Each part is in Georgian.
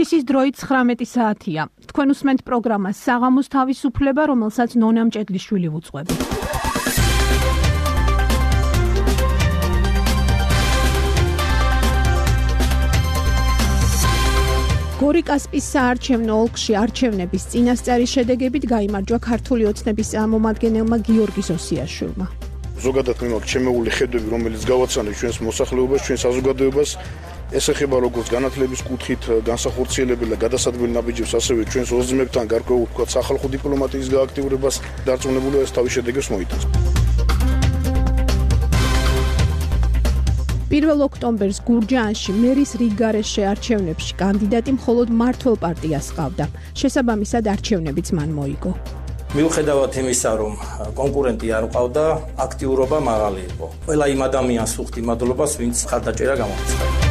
თბილისის დროით 19 საათია. თქვენ უსმენთ პროგრამას საღამოს თავისუფლება, რომელსაც ნონა მჭედლიშვილი უძღვება. გორიკასპის საარჩევნო ოლქში არჩევნების წინასწარი შედეგებით გაიმარჯვა ქართული ოცნების წარმომადგენელმა გიორგი ზოსიაშვილმა. ზოგადად მე მაქვს ჩემეული ხედვები, რომელიც გავაცანე ჩვენს მოსახლეობას, ჩვენს საზოგადოებას. ეს ეხება როგორც განათლების კუთხით განსახორციელებელ და გადასადგმელ ნაბიჯებს, ასევე ჩვენს ოზრმებთან გარკვეულ თქვა სახალხო დიპლომატიის გააქტიურებას დარწმუნებული ეს თავის შედეგებს მოიტანს. 1 ოქტომბერს გურჯაანში მერის რიგგარეშე არჩევნებში კანდიდატი მხოლოდ მმართველ პარტიას ჰყავდა. შესაბამისად არჩევნებიც მან მოიგო. მიუხედავად იმისა, რომ კონკურენტი არ ყავდა, აქტიურობა მაღალი იყო. ყველა იმ ადამიანს ვუხდი მადლობას, ვინც ხარდაჭერა გამოაცხადა.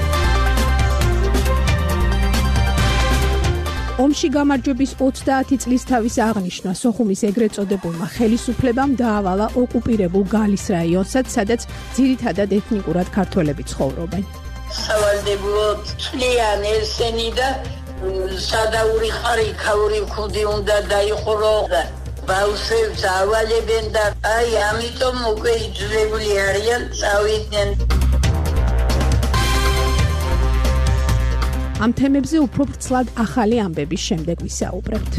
ომში გამარჯვების 30 წლის თავის აღნიშვნა სოხუმის ეგრეთ წოდებულმა ხელისუფლებამ დაავალა ოკუპირებულ გალის რაიონსაც, სადაც ძირითადად ეთნიკურად ქართველები ცხოვრობენ. სავალდებულოდ წლიან ესენი და სადაური ხარი ქაური ხუდი უნდა დაიხურო და ბავშვებს ავალებენ და აი ამიტომ უკვე იძულებული არიან წავიდნენ. ამ თემებზე უფრო ვრცლად ახალი ამბების შემდეგ ვისაუბრებთ.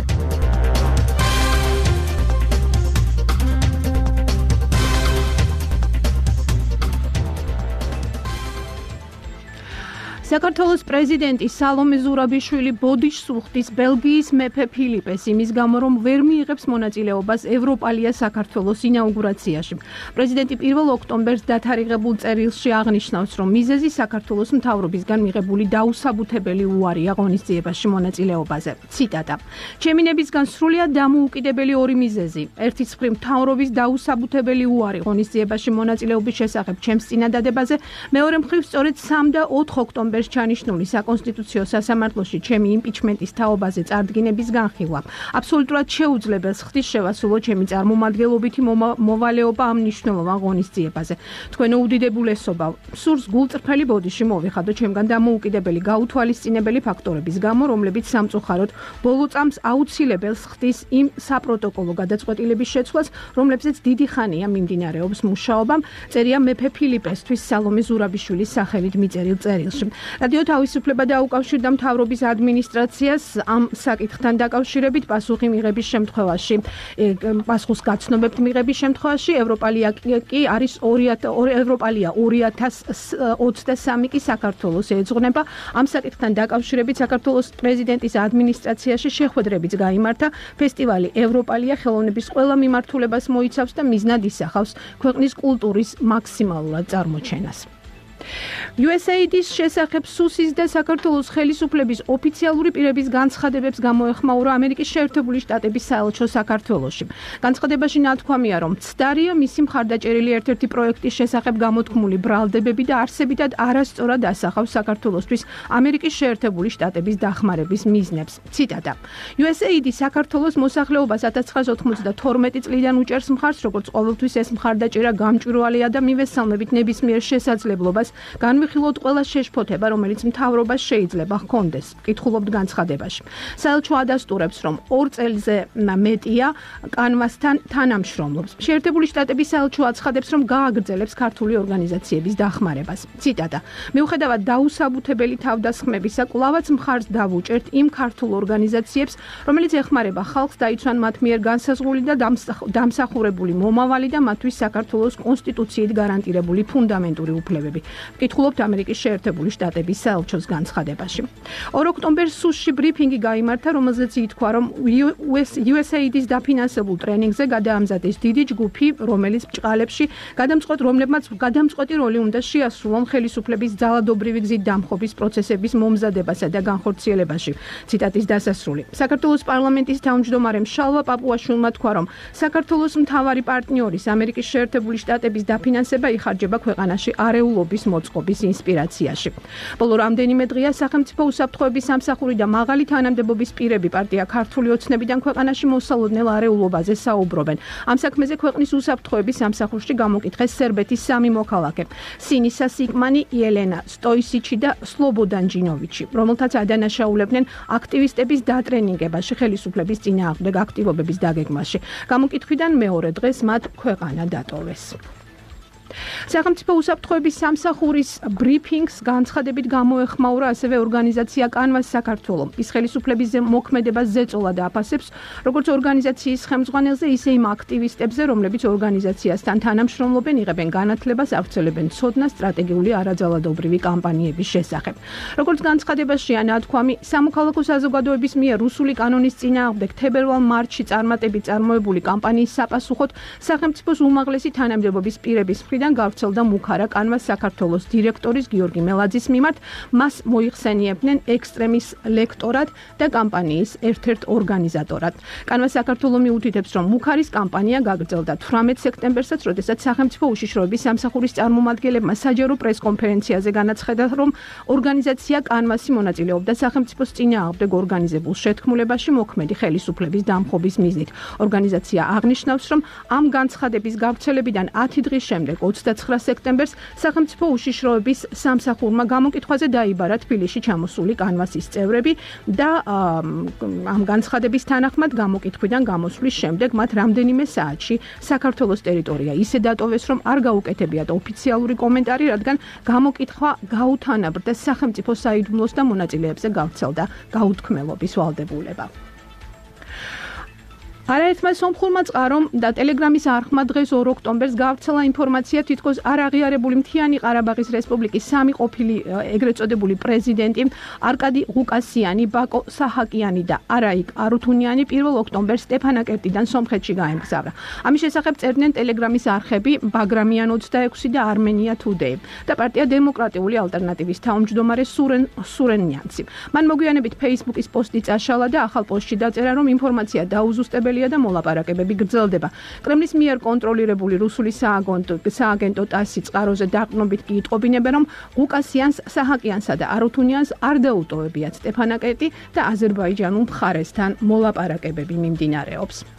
საქართველოს პრეზიდენტი სალომე ზურაბიშვილი ბოდიშს უხდის ბელგიის მეფე ფილიპეს იმის გამო, რომ ვერ მიიღებს მონაწილეობას ევროპალია საქართველოს ინაუგურაციაში. პრეზიდენტი 1 ოქტომბერს დათარიღებულ წერილში აღნიშნავს, რომ მიზეზი საქართველოს მთავრობისგან მიღებული დაუსაბუთებელი უარია ღონისძიებაში მონაწილეობაზე. ციტატა: ჩემი ნებისგან სრულიად დამოუკიდებელი ორი მიზეზი. ერთის მხრივ მთავრობის დაუსაბუთებელი უარი ღონისძიებაში მონაწილეობის შესახებ ჩემს წინადადებაზე, მეორე მხრივ სწორედ 3 და 4 ოქტომბერს ჩანიშნული საკონსტიტუციო სასამართლოში ჩემი იმპიჩმენტის თაობაზე წარდგინების განხილვა. აბსოლუტურად შეუძლებელს ხდის შევასრულო ჩემი წარმომადგენლობითი მოვალეობა ამ მნიშვნელოვან ღონისძიებაზე. თქვენო უდიდებულესობა, სურს გულწრფელი ბოდიში მოვიხადო ჩემგან დამოუკიდებელი გაუთვალისწინებელი ფაქტორების გამო, რომლებიც სამწუხაროდ ბოლო წამს აუცილებელს ხდის იმ საპროტოკოლო გადაწყვეტილების შეცვლას, რომლებზეც დიდი ხანია მიმდინარეობს მუშაობა, წერია მეფე ფილიპესთვის სალომე ზურაბიშვილის სახელით მიწერილ წერილში. რადიო თავისუფლება დაუკავშირდა მთავრობის ადმინისტრაციას ამ საკითხთან დაკავშირებით პასუხი მიღების შემთხვევაში, პასუხის გაცნობებთ მიღების შემთხვევაში ევროპალია კი არის 2023 კი საქართველოს ეძღვნება. ამ საკითხთან დაკავშირებით საქართველოს პრეზიდენტის ადმინისტრაციაში შეხვედრებიც გაიმართა. ფესტივალი ევროპალია ხელოვნების ყველა მიმართულებას მოიცავს და მიზნად ისახავს ქვეყნის კულტურის მაქსიმალურად წარმოჩენას. USAID-ის შესახებ სუსის და საქართველოს ხელისუფლების ოფიციალური პირების განცხადებებს გამოეხმაურა ამერიკის შეერთებული შტატების საელჩო საქართველოში. განცხადებაში ნათქვამია, რომ ცდარია მისი მხარდაჭერილი ერთ-ერთი პროექტის შესახებ გამოთქმული ბრალდებები და არსებითად არასწორად ასახავს საქართველოსთვის ამერიკის შეერთებული შტატების დახმარების მიზნებს. ციტატა: USAID საქართველოს მოსახლეობას 1992 წლიდან უჭერს მხარს, როგორც ყოველთვის ეს მხარდაჭერა გამჭვირვალეა და მივესალმებით ნებისმიერ შესაძლებლობას განვიხილოთ ყველა შეშფოთება, რომელიც მთავრობას შეიძლება ჰქონდეს. კითხულობთ განცხადებაში. საელჩო ადასტურებს, რომ 2 წელზე მეტია კანვასთან თანამშრომლობს. შეერთებული შტატების საელჩო აცხადებს, რომ გააგრძელებს ქართული ორგანიზაციების დახმარებას. ციტატა: მიუხედავად დაუსაბუთებელი თავდასხმებისა, კვლავაც მხარს დავუჭერთ იმ ქართულ ორგანიზაციებს, რომელიც ეხმარება ხალხს დაიცვან მათ მიერ განსაზღვრული და დამსახურებული მომავალი და მათთვის საქართველოს კონსტიტუციით გარანტირებული ფუნდამენტური უფლებები. კითხულობთ ამერიკის შეერთებული შტატების საელჩოს განცხადებაში. 2 ოქტომბერს სუსში ბრიფინგი გაიმართა, რომელზეც ითქვა, რომ USAID-ის დაფინანსებულ ტრენინგზე გადაამზადეს დიდი ჯგუფი, რომელიც ბჭყალებში რომლებმაც გადამწყვეტი როლი უნდა შეასრულონ ხელისუფლების ძალადობრივი გზით დამხობის პროცესების მომზადებასა და განხორციელებაში. ციტატის დასასრული. საქართველოს პარლამენტის თავმჯდომარემ შალვა პაპუაშვილმა თქვა, რომ საქართველოს მთავარი პარტნიორის ამერიკის შეერთებული შტატების დაფინანსება იხარჯება ქვეყანაში არეულობის მოწყობის ინსპირაციაში. ბოლო რამდენიმე დღეა სახელმწიფო უსაფრთხოების სამსახური და მაღალი თანამდებობის პირები პარტია ქართული ოცნებიდან ქვეყანაში მოსალოდნელ არეულობაზე საუბრობენ. ამ საქმეზე ქვეყნის უსაფრთხოების სამსახურში გამოკითხეს სერბეთის 3 მოქალაქე: სინისა სიგმანი, იელენა სტოისიჩი და სლობოდან ჯინოვიჩი, რომელთაც ადანაშაულებდნენ აქტივისტების დატრენინგებაში, ხელისუფლების წინააღმდეგ აქტივობების დაგეგმაში. გამოკითხვიდან მეორე დღეს მათ ქვეყანა დატოვეს. სახელმწიფო უსაფრთხოების სამსახურის ბრიფინგს განცხადებით გამოეხმაურა ასევე ორგანიზაცია კანვას საქართველო. ის ხელისუფლების მოქმედებას ზეწოლა და აფასებს როგორც ორგანიზაციის ხელმძღვანელზე, ისე იმ აქტივისტებზე, რომლებიც ორგანიზაციასთან თანამშრომლობენ, იღებენ განათლებას, ავრცელებენ ცოდნას სტრატეგიული არაძალადობრივი კამპანიების შესახებ. როგორც განცხადებაშია ნათქვამი, სამოქალაქო საზოგადოების მიერ რუსული კანონის წინააღმდეგ თებერვალ-მარტში წარმატებით წარმოებული კამპანიის საპასუხოდ სახელმწიფოს უმაღლესი თანამდებობის პირების მხრიდან გავრცელდა მუქარა კანვას საქართველოს დირექტორის გიორგი მელაძის მიმართ. მას მოიხსენიებდნენ ექსტრემის ლექტორად და კამპანიის ერთ-ერთ ორგანიზატორად. კანვას საქართველო მიუთითებს, რომ მუქარის კამპანია გაგრძელდა 18 სექტემბერსაც, როდესაც სახელმწიფო უშიშროების სამსახურის წარმომადგენლებმა საჯარო პრესკონფერენციაზე განაცხადა, რომ ორგანიზაცია კანვასი მონაწილეობდა სახელმწიფოს წინააღმდეგ ორგანიზებულ შეთქმულებაში მოქმედი ხელისუფლების დამხობის მიზნით. ორგანიზაცია აღნიშნავს, რომ ამ განცხადების გავრცელებიდან 10 დღის შემდეგ 29 სექტემბერს სახელმწიფო უშიშროების სამსახურმა გამოკითხვაზე დაიბარა თბილისში ჩამოსული კანვასის წევრები და ამ განცხადების თანახმად გამოკითხვიდან გამოსვლის შემდეგ მათ რამდენიმე საათში საქართველოს ტერიტორია ისე დატოვეს, რომ არ გაუკეთებიათ ოფიციალური კომენტარი, რადგან გამოკითხვა გაუთანაბრდა სახელმწიფო საიდუმლოს და მონაწილეებზე გავრცელდა გაუთქმელობის ვალდებულება. არაერთმა სომხურმა წყარომ და ტელეგრამის არხმა დღეს 2 ოქტომბერს გავრცელა ინფორმაცია, თითქოს არ აღიარებული მთიანი ყარაბაღის რესპუბლიკის 3 ყოფილი ეგრეთ წოდებული პრეზიდენტი არკადი ღუკასიანი, ბაკო საჰაკიანი და არაიკ არუთუნიანი 1 ოქტომბერს სტეფანაკერტიდან სომხეთში გაემგზავრა. ამის შესახებ წერდნენ ტელეგრამის არხები ბაგრამიან 26 და armenia today და პარტია დემოკრატიული ალტერნატივის თავმჯდომარე სურენ ნიანცი. მან მოგვიანებით Facebook-ის პოსტი წაშალა და ახალ პოსტში დაწერა, რომ ინფორმაცია დაუზუსტებელი და მოლაპარაკებები გრძელდება. კრემლის მიერ კონტროლირებული რუსული სააგენტო ტასი წყაროზე დაყრდნობით კი იტყობინებენ, რომ ღუკასიანს, საჰაკიანსა და არუთუნიანს არ დაუტოვებიათ სტეფანაკერტი და აზერბაიჯანულ მხარესთან მოლაპარაკებები მიმდინარეობს.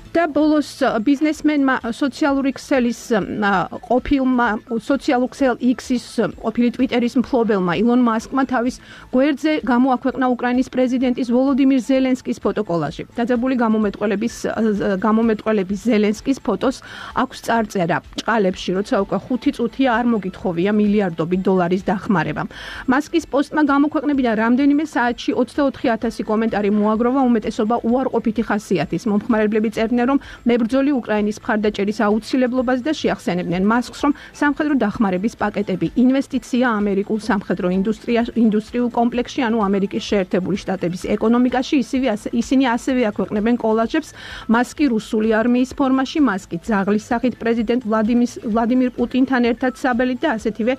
და ბოლოს ბიზნესმენმა სოციალური ქსელის ყოფილმა სოციალურ ქსელ X-ის ყოფილი ტვიტერის მფლობელმა ილონ მასკმა თავის გვერდზე გამოაქვეყნა უკრაინის პრეზიდენტის ვოლოდიმირ ზელენსკის ფოტოკოლაჟი. დაძაბული გამომეტყველების ზელენსკის ფოტოს აქვს წარწერა ჭყალებში, როცა უკვე 5 წუთია არ მოგითხოვია მილიარდობით დოლარის დახმარება. მასკის პოსტმა გამოქვეყნებიდან რამდენიმე საათში 24,000 კომენტარი მოაგროვა, უმეტესობა უარყოფითი ხასიათის. მომხმარებლები წერდნენ, რომ მებრძოლი უკრაინის მხარდაჭერის აუცილებლობას და შეახსენებდნენ მასკს, რომ სამხედრო დახმარების პაკეტები ინვესტიცია ამერიკულ სამხედრო ინდუსტრიულ კომპლექსში, ანუ ამერიკის შეერთებული შტატების ეკონომიკაში. ისინი ასევე აქვეყნებენ კოლაჟებს მასკი რუსული არმიის ფორმაში, მასკი ძაღლის სახით პრეზიდენტ ვლადიმირ პუტინთან ერთად საბელით და ასეთივე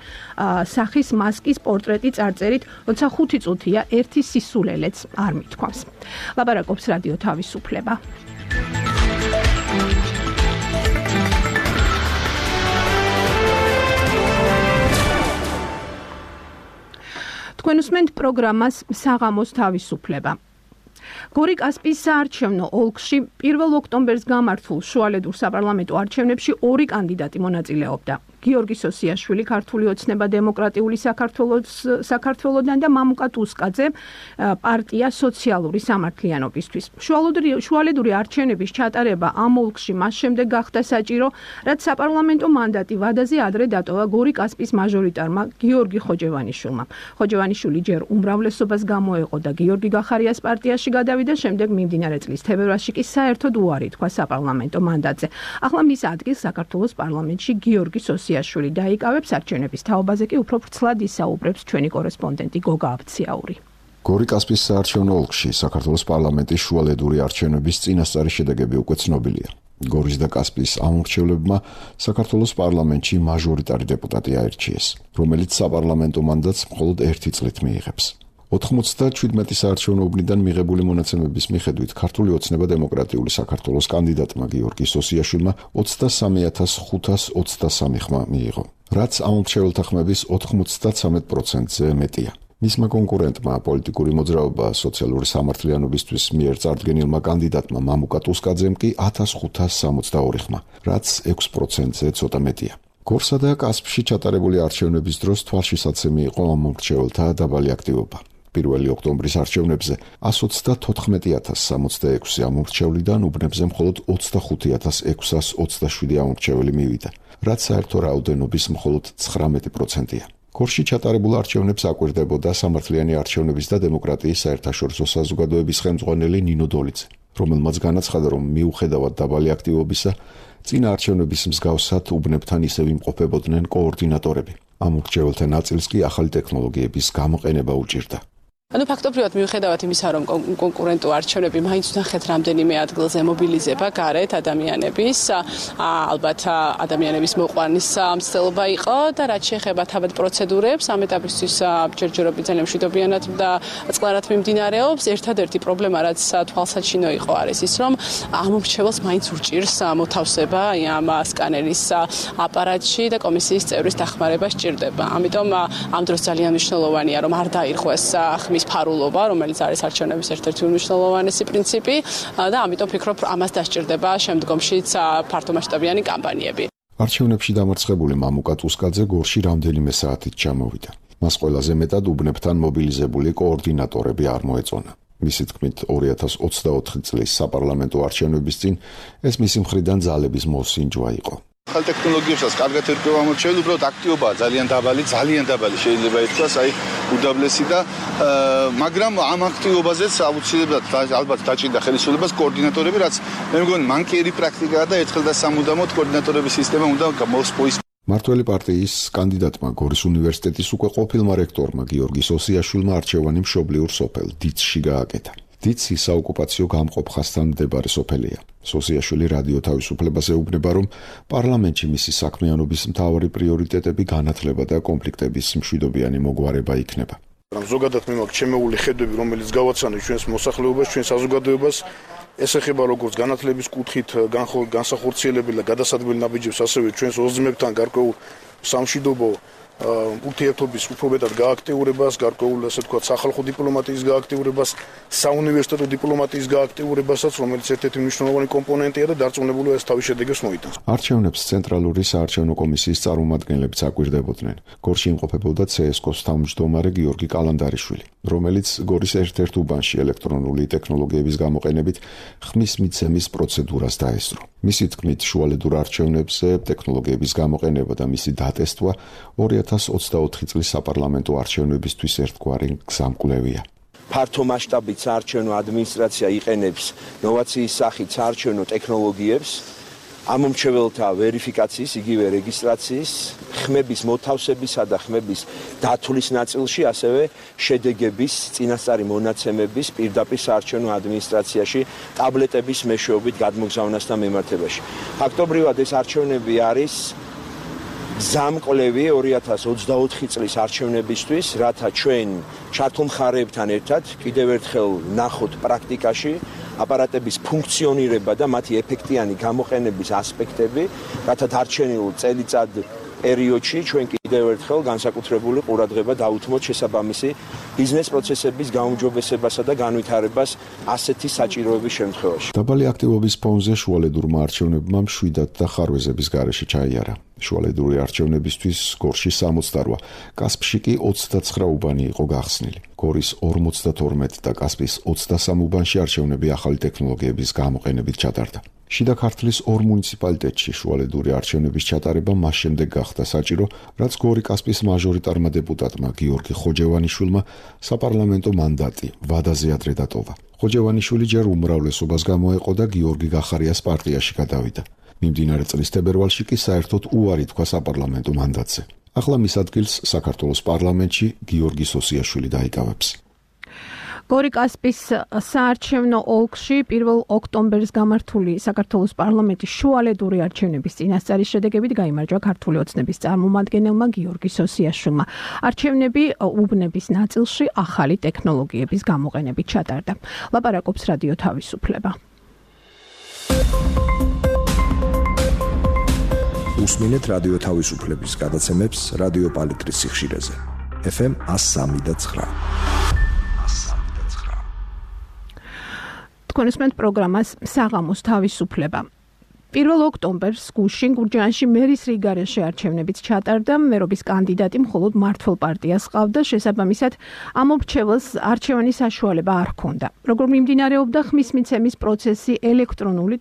სახის მასკის პორტრეტი წარწერით, როცა 5 წუთია ერთი სისულელეც არ მithქვამს. ლაპარაკობს რადიო თავისუფლება. თქვენ უსმენთ პროგრამას საღამოს თავისუფლება. გორი კასპიის საარჩევნო ოლქში 1 ოქტომბერს გამართულ შუალედურ საპარლამენტო არჩევნებში 2 კანდიდატი მონაწილეობდა. გიორგი სოსიაშვილი, ქართული ოცნება დემოკრატიული საქართველოსდან და მამუკა ტუსკაძე, პარტია სოციალური სამართლიანობისთვის. შუალედური არჩევნების ჩატარება ამ ოლქში მას შემდეგ გახდა საჭირო, რაც საპარლამენტო მანდატი ვადაზე ადრე დატოვა გორი კასპიის მაჟორიტარმა გიორგი ხოჯევანიშვილმა. ხოჯევანიშვილი ჯერ უმრავლესობას გამოეყო და გიორგი გახარიას პარტიაში გადავიდა, შემდეგ მიმდინარე წლის თებერვალში კი საერთოდ უარი თქვა საპარლამენტო მანდატზე. ახლა მის ადგილს საქართველოს პარლამენტში გიორგი სოსიაშვილი დაიკავებს, არჩევნების თაობაზე კი უფრო ვრცლად ისაუბრებს ჩვენი კორესპონდენტი გოგა აბციაური. გორი კასპიის საარჩევნო ოლქში საქართველოს პარლამენტის შუალედური არჩევნების წინასწარი შედეგები უკვე ცნობილია. გორის და კასპიის ამორჩევლებმა საქართველოს პარლამენტში მაჟორიტარი დეპუტატი აირჩიეს, რომელიც საპარლამენტო მანდატს მხოლოდ 1 წლით მიიღებს. 97 საარჩევნო უბნიდან მიღებული მონაცემების მიხედვით ქართული ოცნება დემოკრატიული საქართველოს კანდიდატმა გიორგი სოსიაშვილმა 23,523 ხმა მიიღო, რაც ამ მრჩეველთა ხმების 93%-ზე მეტია. მისმა კონკურენტმა პოლიტიკური მოძრაობა სოციალური სამართლიანობისთვის მიერ წარდგენილმა კანდიდატმა მამუკა ტუსკაძემ კი 1562 ხმა, რაც 6%-ზე ცოტა მეტია. გორსა და კასპში ჩატარებული არჩევნების დროს თვალშისაცემი იყო ამ მრჩეველთა დაბალი აქტივობა. 1 ოქტომბრის არჩევნებზე 134,066 ამომრჩევლიდან უბნებზე მხოლოდ 25,627 ამომრჩეველი მივიდა, რაც საერთო რაოდენობის მხოლოდ 19%-ია. გორში ჩატარებულ არჩევნებს აკვირდებოდა სამართლიანი არჩევნების და დემოკრატიის საერთაშორისო საზოგადოების ხელმძღვანელი ნინო დოლიძე, რომელმაც განაცხადა, რომ მიუხედავად დაბალი აქტივობისა, წინა არჩევნების მსგავსად უბნებთან ისევ იმყოფებოდნენ კოორდინატორები. ამ მრჩეველთა ნაწილს კი ახალი ტექნოლოგიების გამოყენება უჭირდა. ფაქტობრივად მიუხედავად იმისა, რომ კონკურენტო არჩევნები მაინც ნახეთ რამდენიმე ადგილზე მობილიზება გარეთ ადამიანების, ალბათ ადამიანების მოყვანის მცდელობა იყო და რაც შეეხება თავად პროცედურებს, ამ ეტაპისთვის ჯერჯერობით ძალიან მშვიდობიანად და წყლარად მიმდინარეობს. ერთადერთი პრობლემა, რაც თვალსაჩინო იყო, არის ის, რომ ამ მრჩეველს მაინც urჭირს მოთავსება ამ სკანერის აპარატში და კომისიის წევრის დახმარება სჭირდება. ამიტომ ამ დროს ძალიან მნიშვნელოვანია, რომ არ დაირღვეს ხმის ფარულობა, რომელიც არის არჩევნების ერთ-ერთი უმნიშვნელოვანესი პრინციპი და ამიტომ ფიქრობ, ამას დასჭირდება შემდგომშიც ფართომასშტაბიანი კამპანიები. არჩევნებში დამარცხებული მამუკა ტუსკაძე გორში რამდენიმე საათით ჩამოვიდა. მას ყველაზე მეტად უბნებთან მობილიზებული კოორდინატორები არ მოეწონა. მისი თქმით, 2024 წლის საპარლამენტო არჩევნების წინ ეს მისი მხრიდან ძალების მოსინჯვა იყო. ახალ ტექნოლოგიებსაც კარგად ერკვევა მრჩეველი, უბრალოდ აქტივობაა ძალიან დაბალი შეიძლება ითქვას, უდაბლესი და მაგრამ ამ აქტივობაზეც აუცილებლად ალბათ დაჭირდა ხელისუფლებას კოორდინატორები, რაც მე მგონი მანკიერი პრაქტიკაა და ერთხელ და სამუდამოდ კოორდინატორების სისტემა უნდა მოსპოის. მართველი პარტიის კანდიდატმა გორის უნივერსიტეტის უკვე ყოფილმა რექტორმა გიორგი სოსიაშვილმა არჩევანი მშობლიურ სოფელ დიცში გააკეთა. დიცი საოკუპაციო გამყოფ ხაზთან მდებარე სოფელია. სოსიაშვილი რადიო თავისუფლებას ეუბნება, რომ პარლამენტში მისი საქმიანობის მთავარი პრიორიტეტები განათლება და კონფლიქტების მშვიდობიანი მოგვარება იქნება. ზოგადად მე მაქვს ჩემეული ხედვები, რომელიც გავაცანე ჩვენს მოსახლეობას, ჩვენს საზოგადოებას, ეს ეხება როგორც განათლების კუთხით განსახორციელებელ და გადასადგმელ ნაბიჯებს, ასევე ჩვენს ოზრმებთან გარკვეულ სამშვიდობო ურთიერთობის უფრო მეტად გააქტიურებას, გარკვეულ ასე ვთქვათ, სახალხო დიპლომატიის გააქტიურებას, საუნივერსიტეტო დიპლომატიის გააქტიურებასაც, რომელიც ერთ-ერთი მნიშვნელოვანი კომპონენტია და დარწმუნებულია ეს თავის შედეგებს მოიტანს. არჩევნებს ცენტრალური საარჩევნო კომისიის წარმომადგენლებიც აკვირდებოდნენ. გორში იმყოფებოდა CSKO-ს თავმჯდომარე გიორგი კალანდარიშვილი, რომელიც გორის ერთ-ერთ უბანში ელექტრონული ტექნოლოგიების გამოყენებით ხმის მიცემის პროცედურას დაესწრო. მისი თქმით, შუალედურ არჩევნებზე ტექნოლოგიების გამოყენება და მისი დატესტვა 2024 წლის საპარლამენტო არჩევნებისთვის ერთგვარი გზამკვლევია. ფართო მასშტაბით საარჩევნო ადმინისტრაცია იყენებს ნოვაციის სახით საარჩევნო ტექნოლოგიებს, ამომრჩეველთა ვერიფიკაციის, იგივე რეგისტრაციის, ხმების მოთავსებისა და ხმების დათვლის ნაწილში, ასევე შედეგების წინასწარი მონაცემების პირდაპირ საარჩევნო ადმინისტრაციაში ტაბლეტების მეშვეობით გადმოგზავნასთან მიმართებაში. ფაქტობრივად ეს არჩევნები არის გზამკვლევი 2024 წლის არჩევნებისთვის, რათა ჩვენ ჩართულ მხარეებთან ერთად კიდევ ერთხელ ნახოთ პრაქტიკაში აპარატების ფუნქციონირება და მათი ეფექტიანი გამოყენების ასპექტები, რათა დარჩენილ წელიწად პერიოდში ჩვენ კიდევ ერთხელ განსაკუთრებული ყურადღება დავუთმოთ შესაბამისი ბიზნეს პროცესების გაუმჯობესებასა და განვითარებას ასეთი საჭიროების შემთხვევაში. დაბალი აქტივობის ფონზე შუალედურმა არჩევნებმა მშვიდად და ხარვეზების გარეშე ჩაიარა. შუალედური არჩევნებისთვის გორში 68, კასპში კი 29 უბანი იყო გახსნილი. გორის 52 და კასპის 23 უბანში არჩევნები ახალი ტექნოლოგიების გამოყენებით ჩატარდა. შიდა ქართლის 2 მუნიციპალიტეტში შუალედური არჩევნების ჩატარება მას შემდეგ გახდა საჭირო, რაც გორი კასპის მაჟორიტარმა დეპუტატმა გიორგი ხოჯევანიშვილმა საპარლამენტო მანდატი ვადაზე ადრე დატოვა. ხოჯევანიშვილი ჯერ უმრავლესობას გამოეყო და გიორგი გახარიას პარტიაში გადავიდა. მიმდინარე წლის თებერვალში კი საერთოდ უარი თქვა საპარლამენტო მანდატზე. ახლა მის ადგილს საქართველოს პარლამენტში გიორგი სოსიაშვილი დაიკავებს. გორიკასპის საარჩევნო ოლქში 1 ოქტომბერს გამართული საქართველოს პარლამენტის შუალედური არჩევნების წინასწარის შედეგებით გაიმარჯვა ქართული ოცნების წარმომადგენელმა გიორგი სოსიაშვილმა. არჩევნები უბნების ნაწილში ახალი ტექნოლოგიების გამოყენებით ჩატარდა. ლაპარაკობს რადიო თავისუფლება. უსმინეთ რადიო თავისუფლების გადაცემებს რადიო პალიტრის სიხშირეზე. FM 103.9. თქვენ უსმენთ პროგრამას საღამოს თავისუფლება. 1 ოქტომბერს გუშინ გურჯაანში მერის რიგარეში არჩევნებიც ჩატარდა. მერობის კანდიდატი მხოლოდ მართლ პარტიას ჰყავდა, შესაბამისად ამორჩეველს არჩევანის საშუალება არ ჰქონდა. როგორ მიმდინარეობდა ხმის მიცემის პროცესი ელექტრონული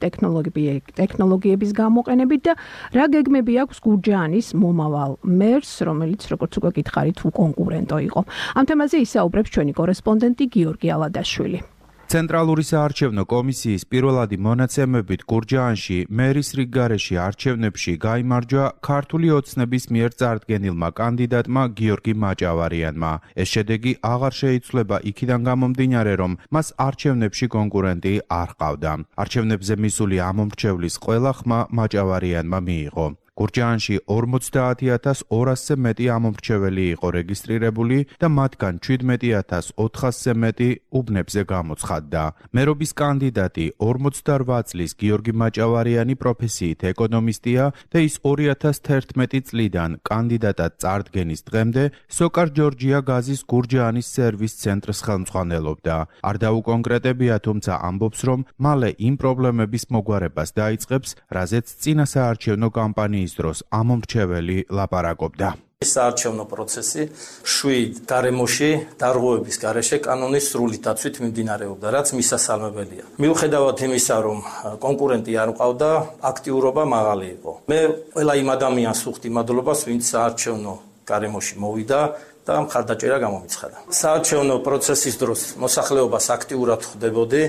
ტექნოლოგიების გამოყენებით და რა გეგმები აქვს გურჯაანის მომავალ მერს, რომელიც როგორც უკვე გითხარით უკონკურენტო იყო. ამ თემაზე ისაუბრებს ჩვენი კორესპონდენტი გიორგი ალადაშვილი. ცენტრალური საარჩევნო კომისიის პირველადი მონაცემებით გურჯაანში მერის რიგარეში არჩევნებში გაიმარჯვა ქართული ოცნების მიერ წარდგენილმა კანდიდატმა გიორგი მაჭავარიანმა. ეს შედეგი აღარ შეიცვლება იქიდან გამომდინარე, რომ მას არჩევნებში კონკურენტი არ ჰყავდა. არჩევნებზე მისული ამომრჩევლის ყველა ხმა მაჭავარიანმა მიიღო. გურჯაანში 50,200-ზე მეტი ამომრჩეველი იყო რეგისტრირებული და მათგან 17,400-ზე მეტი უბნებზე გამოცხადდა. მერობის კანდიდატი 48 წლის გიორგი მაჭავარიანი პროფესიით ეკონომისტია და ის 2011 წლიდან კანდიდატად წარდგენის დღემდე სოკარ ჯორჯია გაზის გურჯაანის სერვის ცენტრს ხელმძღვანელობდა. არ დაუკონკრეტებია, თუმცა ამბობს, რომ მალე იმ პრობლემების მოგვარებას დაიწყებს, რაზეც წინა საარჩევნო კამპანიის დროს ამომრჩეველი ლაპარაკობდა. საარჩევნო პროცესი 7 გარემოში დარღვევების გარეშე კანონის სრული დაცვით მიმდინარეობდა, რაც მისასალმებელია. მიუხედავად იმისა, რომ კონკურენტი არ მყავდა, აქტიურობა მაღალი იყო. მე ყველა იმ ადამიანს ვუხდი მადლობას, ვინც საარჩევნო გარემოში მოვიდა და მხარდაჭერა გამომიცხადა. საარჩევნო პროცესის დროს მოსახლეობას აქტიურად ხვდებოდი,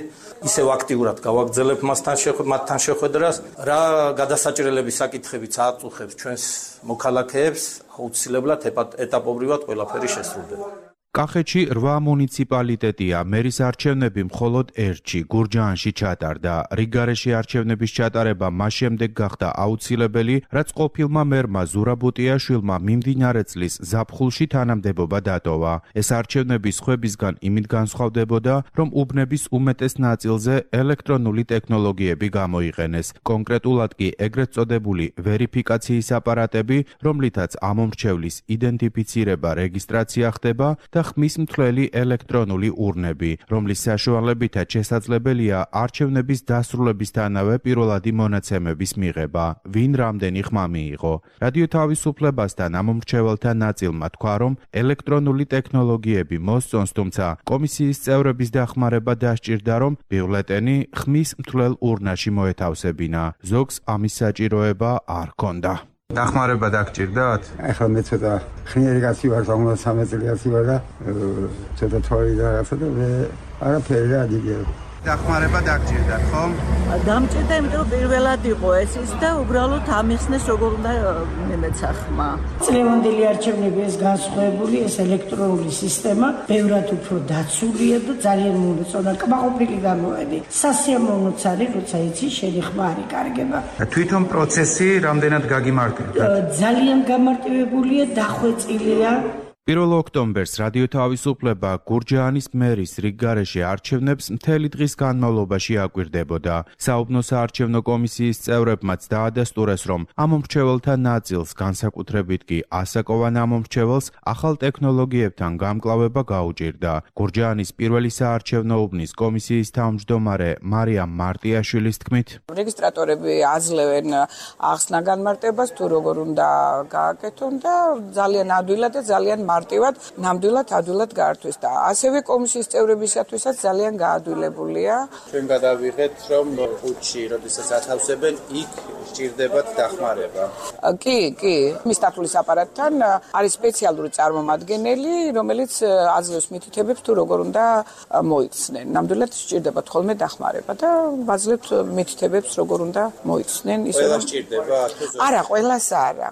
ისევ აქტიურად გავაგრძელებ მათთან შეხვედრას, რა გადასაჭრელების საკითხებიც აწუხებს ჩვენს მოქალაქეებს, აუცილებლად ეტაპობრივად ყველაფერი შესრულდება. კახეთში 8 მუნიციპალიტეტია, მერის არჩევნები მხოლოდ ერთში, გურჯაანში ჩატარდა. რიგარეში არჩევნების ჩატარება მას შემდეგ გახდა აუცილებელი, რაც ყოფილმა მერმა ზურაბუტიაშვილმა მიმდინარე წლის ზაფხულში თანამდებობა დატოვა. ეს არჩევნები სხვებისგან იმით განსხვავდებოდა, რომ უბნების უმეტეს ნაწილზე ელექტრონული ტექნოლოგიები გამოიყენეს. კონკრეტულად კი ეგრეთ წოდებული ვერიფიკაციის აპარატები, რომლითაც ამომრჩევლის იდენტიფიცირება, რეგისტრაცია ხდება და ხმის მთლელი ელექტრონული ურნები, რომლის საშუალებითაც შესაძლებელია არჩევნების დასრულებისთანავე პირველადი მონაცემების მიღება, ვინ რამდენი ხმა მიიღო. რადიო თავისუფლებასთან ამომრჩეველთა ნაწილმა თქვა, რომ ელექტრონული ტექნოლოგიები მოსწონს, თუმცა კომისიის წევრების დახმარება დასჭირდა, რომ ბიულეტენი ხმის მთლელ ურნაში მოეთავსებინა. ზოგს ამის საჭიროება არ ჰქონდა. დახმარება დაგჭირდათ? ახლა მე ცოტა ხნიერი კაცი ვარ, 13 წელი ვარ და ცოტა თვალი და რაღაცა და მე არაფერი რა დიგერ. დახმარება დაგჭირდათ, ხო? დამჭირდა, იმიტომ რომ პირველად იყო ეს ის და უბრალოდ ამიხსნეს როგორ უნდა მემეცა ხმა. წლევანდელი არჩევნების განსხვავებული ეს ელექტრონული სისტემა ბევრად უფრო დაცულია და ძალიან მოუწონა კმაყოფილი გამოვედი. სასიამოვნოც არის, როცა იცი შენი ხმა არ იკარგება. თვითონ პროცესი რამდენად გაგიმარტივდა? ძალიან გამარტივებულია, დახვეწილია. 1 ოქტომბერს რადიო თავისუფლება გურჯაანის მერის რიგარეში არჩევნებს მთელი დღის განმავლობაში აკვირდებოდა. საუბნო საარჩევნო კომისიის წევრებმაც დაადასტურეს, რომ ამომრჩეველთა ნაწილს, განსაკუთრებით კი ასაკოვან ამომრჩეველს, ახალ ტექნოლოგიებთან გამკლავება გაუჭირდა. გურჯაანის პირველი საარჩევნო უბნის კომისიის თავმჯდომარე მარიამ მარტიაშვილის თქმით, რეგისტრატორები აძლევენ ახსნა განმარტებას, თუ როგორ უნდა გააკეთონ და ძალიან ადვილად და ძალიან მარტივად, ნამდვილად ადვილად გაართვეს და ასევე კომისიის წევრებისათვისაც ძალიან გაადვილებულია. ჩვენ გადავიღეთ, რომ ხუთში, როდესაც ათავსებენ, იქ სჭირდებათ დახმარება. კი, მისთათვლის აპარატთან არის სპეციალური წარმომადგენელი, რომელიც აძლევს მითითებებს, თუ როგორ უნდა მოიქცნენ. ნამდვილად სჭირდებათ ხოლმე დახმარება და ვაძლევთ მითითებებს, როგორ უნდა მოიქცნენ. ყველა სჭირდება? არა, ყველას არა.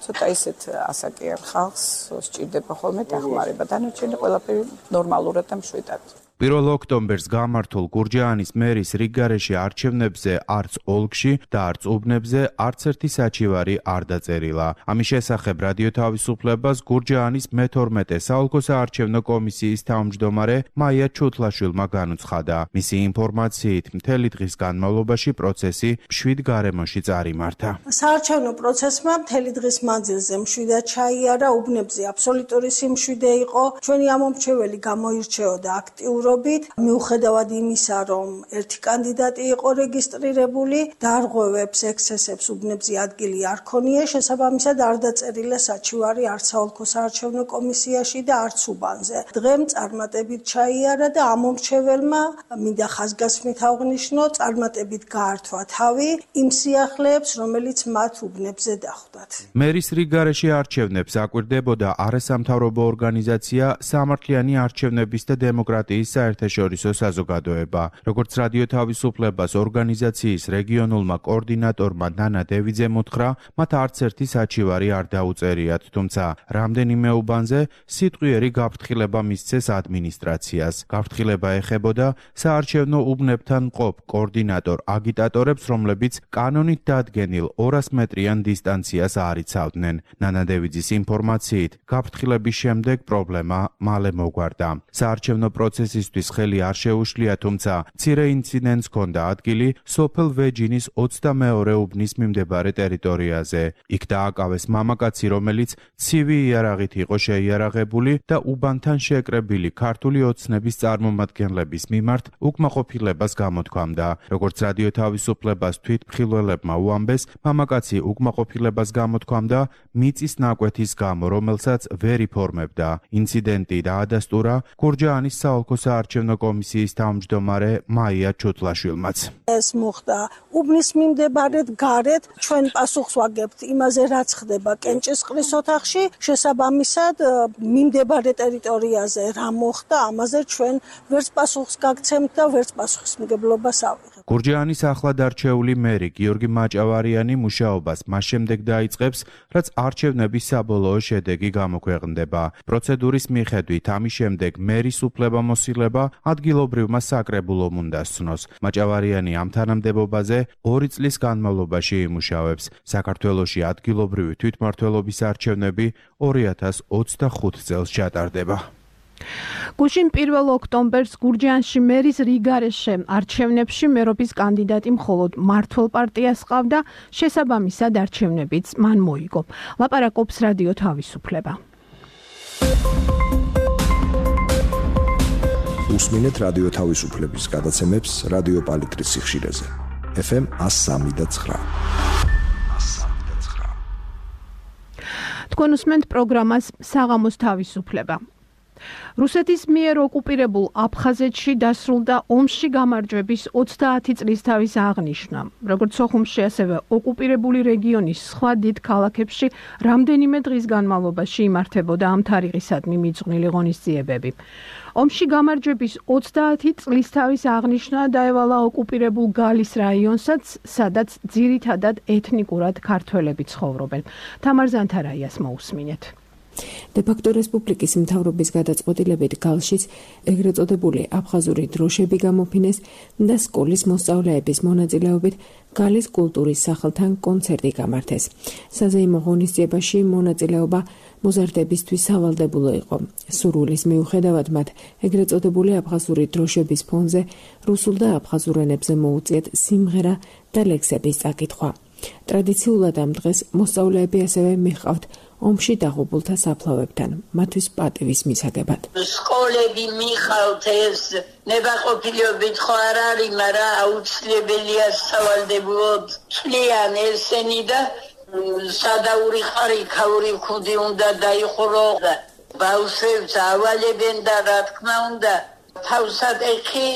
ცოტა ისეთ ასაკიან ხალხს სჭირდება ხოლმე დახმარება. დანარჩენი ყველაფერი ნორმალურად და მშვიდად. 1 ოქტომბერს გამართულ გურჯაანის მერის რიგგარეშე არჩევნებზე არც ოლქში და არც უბნებზე არც ერთი საჩივარი არ დაწერილა. ამის შესახებ რადიო თავისუფლებას გურჯაანის მე-12 საოლქო საარჩევნო კომისიის თავმჯდომარე მაია ჩუთლაშვილმა განუცხადა. მისი ინფორმაციით, მთელი დღის განმავლობაში პროცესი 7 გარემოში წარიმართა. საარჩევნო პროცესმა მთელი დღის მანძილზე მშვიდად ჩაიარა, უბნებზე აბსოლუტური სიმშვიდე იყო. ჩვენი ამომრჩეველი გამოირჩეოდა აქტიურობით, მიუხედავად იმისა, რომ ერთი კანდიდატი იყო რეგისტრირებული, დარღვევებს, ექსცესებს უბნებზე ადგილი არ ქონია, შესაბამისად არ დაწერილა საჩივარი არც საოლქო საარჩევნო კომისიაში და არც უბანზე. დღემ წარმატებით ჩაიარა და ამომრჩეველმა მინდა ხაზგასმით აღვნიშნო, წარმატებით გაართვა თავი იმ სიახლეებს, რომელიც მათ უბნებზე დახვდათ. მერის რიგგარეშე არჩევნებს აკვირდებოდა არასამთავრობო ორგანიზაცია სამართლიანი არჩევნების და დემოკრატიის საერთაშორისო საზოგადოება. როგორც რადიო თავისუფლებას ორგანიზაციის რეგიონულმა კოორდინატორმა ნანა დევიძემ უთხრა, მათ არც ერთი საჩივარი არ დაუწერიათ, თუმცა რამდენიმე უბანზე სიტყვიერი გაფრთხილება მისცეს ადმინისტრაციას. გაფრთხილება ეხებოდა საარჩევნო უბნებთან მყოფ კოორდინატორ აგიტატორებს, რომლებიც კანონით დადგენილ 200 მეტრიან დისტანციას არ იცავდნენ. ნანა დევიძის ინფორმაციით, გაფრთხილების შემდეგ პრობლემა მალე მოგვარდა. საარჩევნო პროცესისთვის ხელი არ შეუშლია, თუმცა მცირე ინციდენტს ჰქონდა ადგილი სოფელ ვეჯინის 22 უბნის მიმდებარე ტერიტორიაზე. იქ დააკავეს მამაკაცი, რომელიც ცივი იარაღით იყო შეიარაღებული და უბანთან შეკრებილი ქართული ოცნების წარმომადგენლების მიმართ უკმაყოფილებას გამოთქვამდა. როგორც რადიო თავისუფლებას თვითმხილველებმა უამბეს, მამაკაცი უკმაყოფილებას გამოთქვამდა მიწის ნაკვეთის გამო, რომელსაც ვერ იფორმებდა. ინციდენტი დაადასტურა გურჯაანის საოლქო საარჩევნო კომისიის თავმჯდომარე მაია ჩუთლაშვილმაც. ეს მოხდა უბნის მიმდებარედ გარეთ, ჩვენ პასუხს ვაგებთ იმაზე, რაც ხდება კენჭისყრის ოთახში, შესაბამისად მიმდებარე ტერიტორიაზე რა მოხდა, ამაზე ჩვენ ვერც პასუხს გაგცემთ და ვერც პასუხისმგებლობას ავიღებთ. გურჯაანის ახლად არჩეული მერი გიორგი მაჭავარიანი მუშაობას მას შემდეგ დაიწყებს, რაც არჩევნების საბოლოო შედეგი გამოქვეყნდება. პროცედურის მიხედვით ამის შემდეგ მერის უფლებამოსილება ადგილობრივმა საკრებულომ უნდა სცნოს. მაჭავარიანი ამ თანამდებობაზე 2 წლის განმავლობაში იმუშავებს. საქართველოში ადგილობრივი თვითმმართველობის არჩევნები 2025 წელს ჩატარდება. გუშინ 1 ოქტომბერს გურჯაანში მერის რიგგარეშე არჩევნებში მერობის კანდიდატი მხოლოდ მართლ პარტიას ჰყავდა, შესაბამისად არჩევნებიც მან მოიგო. ლაპარაკობს რადიო თავისუფლება. უსმინეთ რადიო თავისუფლების გადაცემებს რადიო პალიტრის სიხშირეზე. FM 103.9. თქვენ უსმენთ პროგრამას საღამოს თავისუფლება. რუსეთის მიერ ოკუპირებულ აფხაზეთში დასრულდა ომში გამარჯვების 30 წლისთავის აღნიშვნა. როგორც სოხუმში, ასევე ოკუპირებული რეგიონის სხვა დიდ ქალაქებში რამდენიმე დღის განმავლობაში იმართებოდა ამ თარიღისადმი მიძღვნილი ღონისძიებები. ომში გამარჯვების 30 წლისთავის აღნიშვნა დაევალა ოკუპირებულ გალის რაიონსაც, სადაც ძირითადად ეთნიკურად ქართველები ცხოვრობენ. თამარ ზანთარაიას მოусმინეთ. დე-ფაქტო რესპუბლიკის მთავრობის გადაწყვეტილებით გალშიც ეგრეთ წოდებული აფხაზური დროშები გამოფინეს და სკოლის მოსწავლეების მონაწილეობით გალის კულტურის სახლთან კონცერტი გამართეს. საზეიმო ღონისძიებაში მონაწილეობა მოზარდებისთვის სავალდებულო იყო. სურვილის მიუხედავად მათ ეგრეთ წოდებული აფხაზური დროშების ფონზე რუსულ და აფხაზურ ენებზე მოუწიათ სიმღერა და ლექსების წაკითხვა. ტრადიციულად ამ დღეს მოსწავლეები ასევე მიჰყავთ ომში დაღუპულთა საფლავებთან, მათთვის პატივის მისაგებად. სკოლები მიხავთ ეს ნებაყოფილობით ხო არ არის, მაგრამ აუცილებელია სავალდებულოდ წლიან ესენი და სადაური ხარი ქაური ხუდი უნდა დაიხურო და ბავშვებს ავალებენ და რა თქმა უნდა თავსად ეხი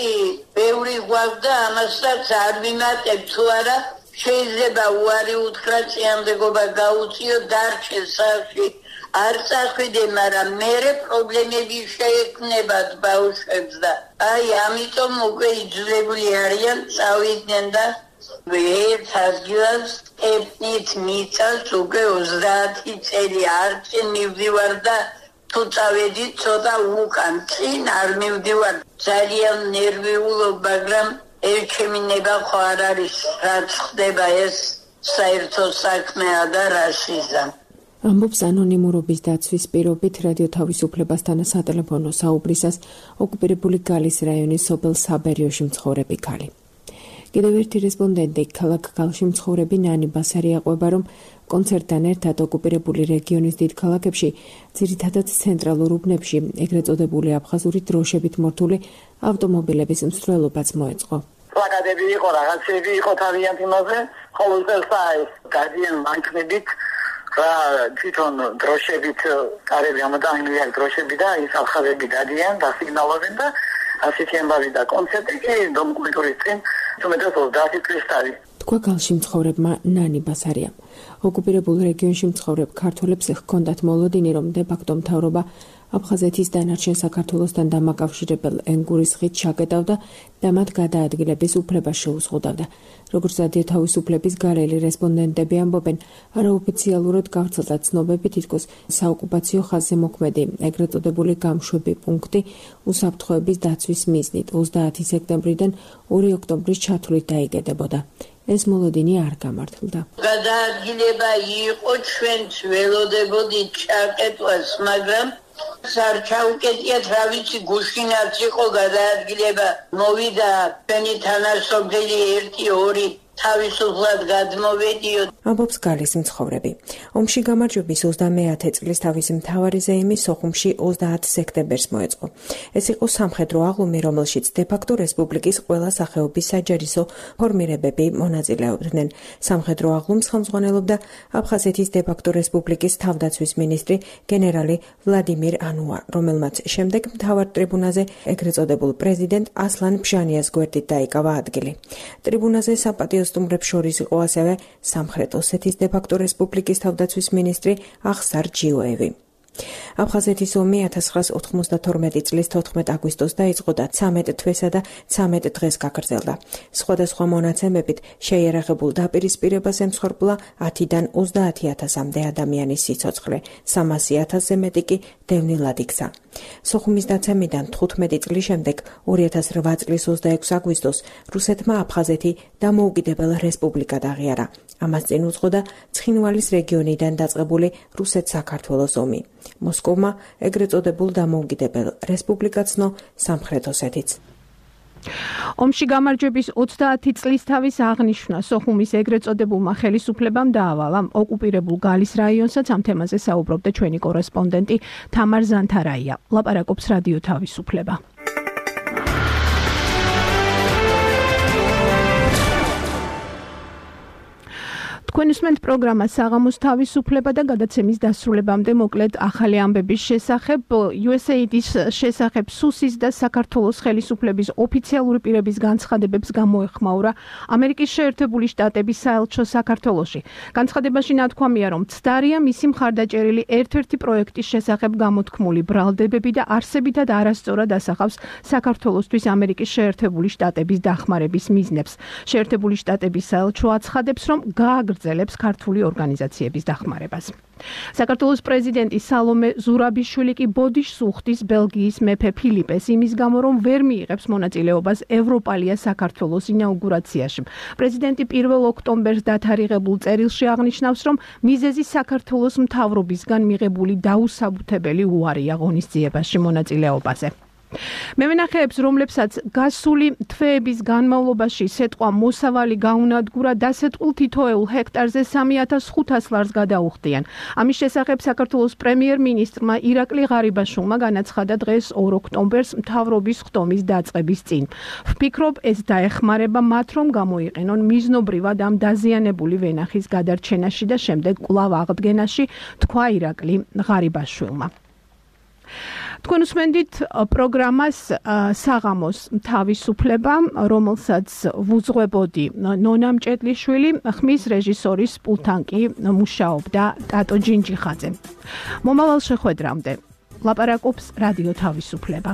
ბევრი გვაქვს ამასაც არ ვიმატებ თუ არა შეიძლება უარი უთხრა წიაღებობა გაუწიო დარჩეს სახში არ წახვიდე, მაგრამ მერე პრობლემები შეექმნებათ ბავშვებს და აი ამიტომ უკვე იძულებული არიან წავიდნენ და ერთ ადგილას ეთნით მიწას უკვე 30 წელი არჩენ მივდივარ და თუ წავედი ცოტა უკან წინ არ მივდივარ ძალიან ნერვიულობ მაგრამ ჩემი ნება ხო არ არის რაც ხდება ეს საერთო საქმეა და რასიზა ამბობს ანონიმურობის დაცვის პირობით რადიო თავისუფლებასთან სატელეფონო საუბრისას ოკუპირებული გალის რაიონის სოფელ საბერიოში მცხოვრები ქალი. კიდევ ერთი რესპონდენტი ქალაქ გალში მცხოვრები ნანი ბასარი აყვება, რომ კონცერტთან ერთად ოკუპირებული რეგიონის დიდ ქალაქებში, ძირითადად ცენტრალურ უბნებში, ეგრეთ წოდებული აფხაზური დროშებით მორთული ავტომობილების მსვლელობაც მოეწყო. პლაკატები იყო, რაღაცები იყო თავიანთ იმაზე, ხოლო ეს გადიან მანქანებით რა თვითონ დროშებით კარები ამოდანილია დროშები და ის აფხაზები დადიან და სიგნალობენ და ასეთი ამბავი და კონცერტი კი დომ კულტურის წინ თუმეტეს 30 წლის არის. თქვა გალში მცხოვრებმა ნანი ბასარიამ. ოკუპირებულ რეგიონში მცხოვრებ ქართველებს ჰქონდათ მოლოდინი, რომ დე-ფაქტო მთავრობა აფხაზეთის დანარჩენ საქართველოსთან დამაკავშირებელ ენგურის ხიდს ჩაკეტავდა და მათ გადაადგილების უფლებას შეუზღუდავდა. როგორც რადიო თავისუფლების გარელი რესპონდენტები ამბობენ, არაოფიციალურად გავრცელდა ცნობები, თითქოს საოკუპაციო ხაზზე მოქმედი ეგრეთ წოდებული გამშვები პუნქტი უსაფრთხოების დაცვის მიზნით 30 სექტემბრიდან 2 ოქტომბრის ჩათვლით დაიგედებოდა. ეს მოლოდინი არ გამართლდა. გადაადგილება იყო ჩვენც ველოდებოდით ჩაკეტვას, მაგრამ სარჩაუკეტიათ რა ვიცი გუშინაც იყო გადაადგილება მოვიდა ჩვენი თანასოფელი 1-2 თავისუფლად გადმოვედიო. ამბობს გალის მცხოვრები. ომში გამარჯვების 30 წლის თავისი მთავარი ზეიმი სოხუმში 30 სექტემბერს მოეწყო. ეს იყო სამხედრო აღლუმი, რომელშიც დე-ფაქტო რესპუბლიკის ყველა სახეობის საჯარისო ფორმირებები მონაწილეობდნენ. სამხედრო აღლუმს ხელმძღვანელობდა აფხაზეთის დე-ფაქტო რესპუბლიკის თავდაცვის მინისტრი გენერალი ვლადიმირ ანუა, რომელმაც შემდეგ მთავარ ტრიბუნაზე ეგრეთ წოდებულ პრეზიდენტ ასლან ბჟანიას გვერდით დაიკავა ადგილი. ტრიბუნაზე საპატიო სტუმრებს შორის იყო ასევე სამხრეთ ოსეთის დე-ფაქტო რესპუბლიკის თავდაცვის მინისტრი ახსარ ჯიოევი. აფხაზეთის ომი 1992 წლის 14 აგვისტოს დაიწყო და 13 თვესა და 13 დღეს გაგრძელდა. სხვადასხვა მონაცემებით შეიარაღებულ დაპირისპირებას ემსხვერპლა 10-დან 30,000-მდე ადამიანის სიცოცხლე, 300,000-ზე მეტი კი დევნილად იქცა. სოხუმის დაცემიდან 15 წლის შემდეგ 2008 წლის 26 აგვისტოს რუსეთმა აფხაზეთი დამოუკიდებელ რესპუბლიკად აღიარა. ამას წინ უძღოდა ცხინვალის რეგიონიდან დაწყებული რუსეთ-საქართველოს ომი. მოსკოვმა ეგრეთ წოდებულ დამოუკიდებელ რესპუბლიკად ცნო სამხრეთ ოსეთიც. ომში გამარჯვების 30 წლის თავის აღნიშვნა სოხუმის ეგრეთ წოდებულმა ხელისუფლებამ დაავალა. ოკუპირებულ გალის რაიონსაც ამ თემაზე საუბრობდა ჩვენი კორესპონდენტი თამარ ზანთარაია. ლაპარაკობს რადიო თავისუფლება. თქვენ უსმენთ პროგრამას საღამოს თავისუფლება და გადაცემის დასრულებამდე მოკლედ ახალი ამბების შესახებ USAID-ის შესახებ სუსის და საქართველოს ხელისუფლების ოფიციალური პირების განცხადებებს გამოეხმაურა ამერიკის შეერთებული შტატების საელჩო საქართველოში. განცხადებაში ნათქვამია, რომ ცდარია მისი მხარდაჭერილი ერთ-ერთი პროექტის შესახებ გამოთქმული ბრალდებები და არსებითად არასწორად ასახავს საქართველოსთვის ამერიკის შეერთებული შტატების დახმარების მიზნებს. შეერთებული შტატების საელჩო აცხადებს, რომ გააგრძელებს ქართული ორგანიზაციების დახმარებას. საქართველოს პრეზიდენტი სალომე ზურაბიშვილი კი ბოდიშს უხდის ბელგიის მეფე ფილიპეს იმის გამო, რომ ვერ მიიღებს მონაწილეობას ევროპალია საქართველოს ინაუგურაციაში. პრეზიდენტი 1 ოქტომბერს დათარიღებულ წერილში აღნიშნავს, რომ მიზეზი საქართველოს მთავრობისგან მიღებული დაუსაბუთებელი უარია ღონისძიებაში მონაწილეობაზე. მევენახეებს, რომლებსაც გასული თვეების განმავლობაში სეტყვა მოსავალი გაუნადგურა, დასეტყვილ თითოეულ ჰექტარზე 3,500 ლარს გადაუხდიან. ამის შესახებ საქართველოს პრემიერ-მინისტრმა ირაკლი ღარიბაშვილმა განაცხადა დღეს 2 ოქტომბერს მთავრობის ხდომის დაწყების წინ. ვფიქრობ, ეს დაეხმარება მათ, რომ გამოიყენონ მიზნობრივად ამ დაზიანებული ვენახის გადარჩენაში და შემდეგ კვლავ აღდგენაში, თქვა ირაკლი ღარიბაშვილმა. თქვენ უსმენდით პროგრამას საღამოს თავისუფლება, რომელსაც ვუძღვებოდი ნონა მჭედლიშვილი, ხმის რეჟისორის პულტთან კი მუშაობდა ტატო ჯინჯიხაძე. მომავალ შეხვედრამდე ლაპარაკობს რადიო თავისუფლება.